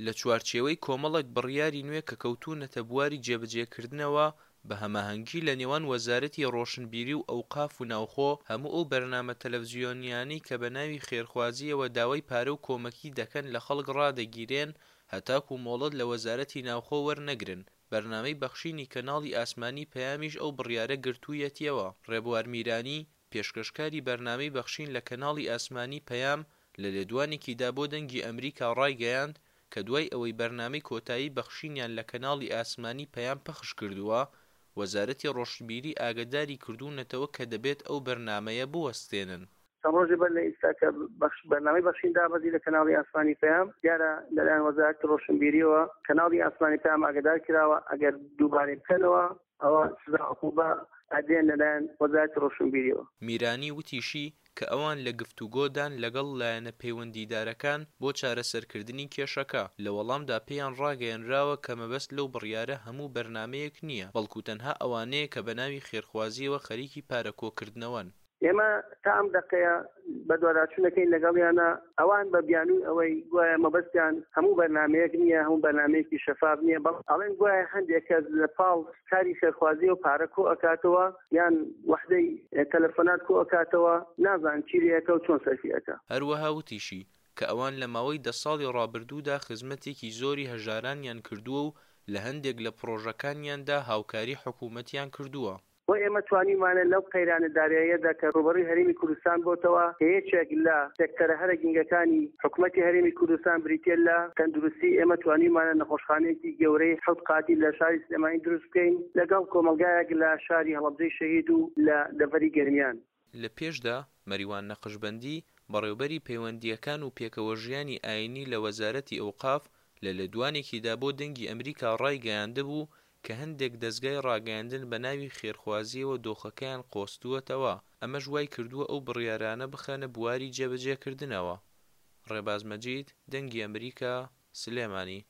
لە چوارچێوەی کۆمەڵێک بڕیاری نوێ کە کەوتوونەتە بواری جێبەجێکردنەوە، بە هەماهەنگی لە نێوان وەزارەتی ڕۆشنبیری و ئەوقاف و ناوخۆ، هەموو ئەو بەرنامە تەلەفزیۆنییانەی کە بە ناوی خێرخوازییەوە داوای پارە و کۆمەکی دەکەن لە خەڵک ڕادەگیرێن هەتاکو مۆڵەت لە وەزارەتی ناوخۆ وەرنەگرن، بەرنامەی بەخشینی کەناڵی ئاسمانی پەیامیش ئەو بڕیارە گرتوویەتیەوە. ڕێبوار میرانی، پێشکەشکاری بەرنامەی بەخشین لە کەناڵی ئاسمانی پەیام لە لێدوانێکیدا بۆ دەنگی ئەمریکا ڕایگەیاند کە دوای ئەوەی بەرنامەی کۆتایی بەخشینیان لە کەناڵی ئاسمانی پەیام پەخش کردووە، وەزارەتی ڕۆشنبیری ئاگەداری کردوونەتەوە کە دەبێت ئەو بەرنامەیە بوەستێنن. چەند ڕۆژێ بەر لە ئیستا کە بەخش بەرنامەی بەخشین دابەزی لە کەناڵی ئاسمانی پەیام، دیارە لەلایەن وەزارەتی ڕۆشنبیریەوە کەناڵی ئاسمانی پەیام ئاگەدار کراوە ئەگەر دووبارەی بکەنەوە ئەوە سزا عقوبە ئەدرێن لەلایەن وەزارەتی ڕۆشنبیریەوە. میرانی وتیشی کە ئەوان لە گفتوگۆدان لەگەڵ لایەنە پەیوەندیدارەکان بۆ چارەسەرکردنی کێشەکە، لە وەڵامدا پێیان ڕاگەیەنراوە کە مەبەست لەو بڕیارە هەموو بەرنامەیەک نییە، بەڵکو تەنها ئەوانەیە کە بەناوی خێرخوازییەوە خەریکی پارە کۆکردنەوەن. ئێمە تا ئەم دەقەیە بەدواداچوون دەکەین لەگەڵیانە، ئەوان بە بیانووی ئەوەی گوایە مەبەستیان هەموو بەرنامەیەک نییە، هەموو بەرنامەیەکی شەفاف نییە، بەڵام ئەڵێن گوایە هەندێک کەس لە پاڵ کاری خێرخوازیەوە پارە کۆ ئەکاتەوە یان وەحدەی تەلەفۆنات کۆ ئەکاتەوە، نازانن چی لێ ئەکا و چۆن سەرفی ئەکا. هەروەها وتیشی، کە ئەوان لە ماوەی دە ساڵی ڕابردوودا خزمەتێکی زۆری هەژارانیان کردووە و لە هەندێک لە پڕۆژەکانیاندا هاوکاری حکوومەتیان کردووە. بۆ ئێمە توانیومانە لەو قەیرانە داراییەدا کە ڕووبەڕووی هەرێمی کوردستان بۆتەوە کە یەکێک لە سێکتەرە هەرە گرنگەکانی حکومەتی هەرێمی کوردستان بریتیە لە تەندروستی ئێمە توانیومانە نەخۆشخانەیەکی گەورەی حەوت قاتی لە شاری سلێمانی دروست بکەین لەگەڵ کۆمەڵگایەک لە شاری هەڵەبجەی شەهید و لە دەڤەری گەرمیان. لە پێشدا، مەریوان نەقشبەندی، بەڕێوبەری پەیوەندییەکان و پێکەوەژیانی ئایینی لە وەزارەتی ئەوقاف لە لێدوانێکیدا بۆ دەنگی ئەمریکا ڕایگەیاندبوو کە هەندێک دەزگای ڕاگەیاندن بە ناوی خێرخوازییەوە دۆخەکەیان قۆستووەتەوە، ئەمەش وای کردووە ئەو بڕیارانە بخەنە بواری جێبەجێکردنەوە. ڕێباز مەجید، دەنگی ئەمریکا، سلێمانی.